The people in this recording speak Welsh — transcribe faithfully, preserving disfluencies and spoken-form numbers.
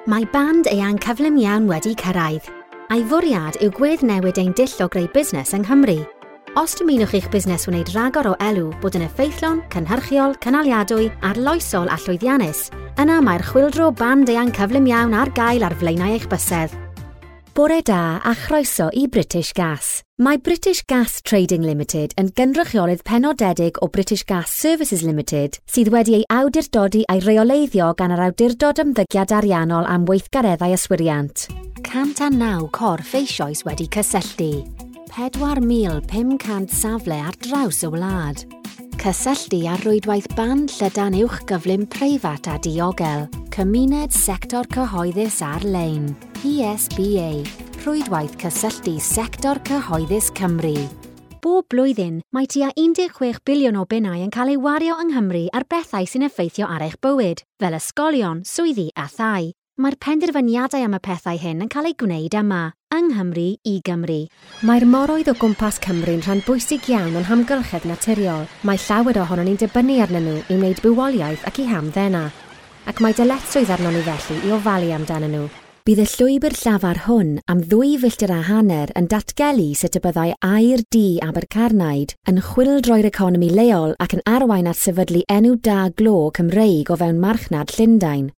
Mae band eang cyflym iawn wedi cyrraedd, a'i fwriad yw gweddnewid ein dull o greu busnes yng Nghymru. Os dymunwch i'ch busnes wneud rhagor o elw bod yn effeithlon, cynhyrchiol, cynaliadwy, arloesol a llwyddiannus, yna mae'r chwyldro band eang cyflym iawn ar gael ar flaenau eich bysedd. Bore da a chroeso i British Gas. Mae British Gas Trading Limited yn gynrychiolydd penodedig o British Gas Services Limited sydd wedi ei awdurdodi a'i reoleiddio gan yr Awdurdod Ymddygiad Ariannol am weithgareddau yswiriant. cant a naw corff eisoes wedi cysylltu. pedwar mil pum cant safle ar draws y wlad. Cysylltu ar rwydwaith band llydan uwch gyflym preifat a diogel. Cymuned sector cyhoeddus ar-lein. P S B A. Rhwydwaith cysylltu sector cyhoeddus Cymru. Bob blwyddyn, mae tua un deg chwech biliwn o bunnau yn cael ei wario yng Nghymru ar bethau sy'n effeithio ar eich bywyd, fel ysgolion, swyddi a thai. Mae'r penderfyniadau am y pethau hyn yn cael eu gwneud yma, yng Nghymru i Gymru. Mae'r moroedd o gwmpas Cymru'n rhan bwysig iawn o'n hamgylchedd naturiol. Mae llawer ohonon ni'n dibynnu arnyn nhw i wneud bywoliaeth ac i hamddena. Ac mae dyletswydd arnon ni felly i ofalu amdanyn nhw. Bydd y llwybr llafar hwn am ddwy filltir a hanner yn datgelu sut y byddai aur du Abercarnaid yn chwyldroi'r economi leol ac yn arwain at sefydlu enw da glo Cymreig o fewn marchnad Llundain.